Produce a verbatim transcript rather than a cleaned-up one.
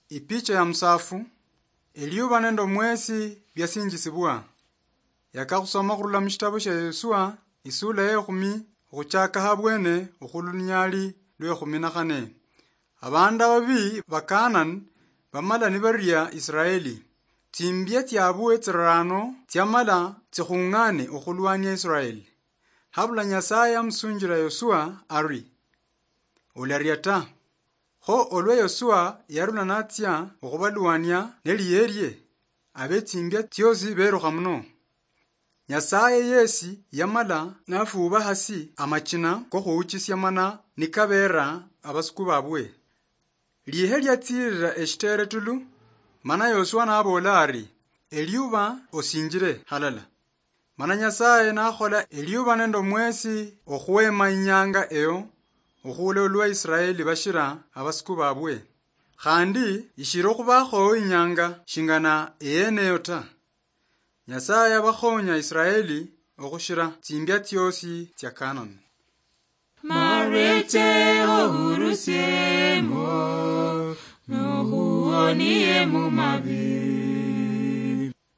Ipicha ya musafu, eliuba nende omwesi biasinjisibwa. Yakakhusoma khurula mushitabu shia Yosua, isula ya ekhumi, okhuchaka habwene okhuluninyali lwa ekhumi na khane. Abandu ababi ba Kanani bamala nibaria Israeli. Tsimbia tsiabwe tsirano tsiamala tsikhung'ane okhulwania Israeli. Habula Nyasaye amusunjila Yosua ari, "Olaria ta." Kho olwa Yosua yarula natsia okhubalwania neliyerie, abetsimbia tsiosi berukha muno. Nyasaye yesi yamala nafuuba hasi amachina kokhuuchisia mana nikabeera abasuku babwe. Lihe liatsiirira eshitere tulu, mana Yosua naboola ari, "Eliuba osinjire halala." Mana Nyasaye nakhola eliuba nende omwesi okhwema inyanga eyo, okhula olwa Israeli bashira abasuku babwe. Khandi ishira okhubakho inyanga shingana eyeneyo ta. Nyasaye abakhonya Israeli okhushira tsimbia tsiosi tsia Kanani. Mareche ohurusiemo, nohuonie mu mabi.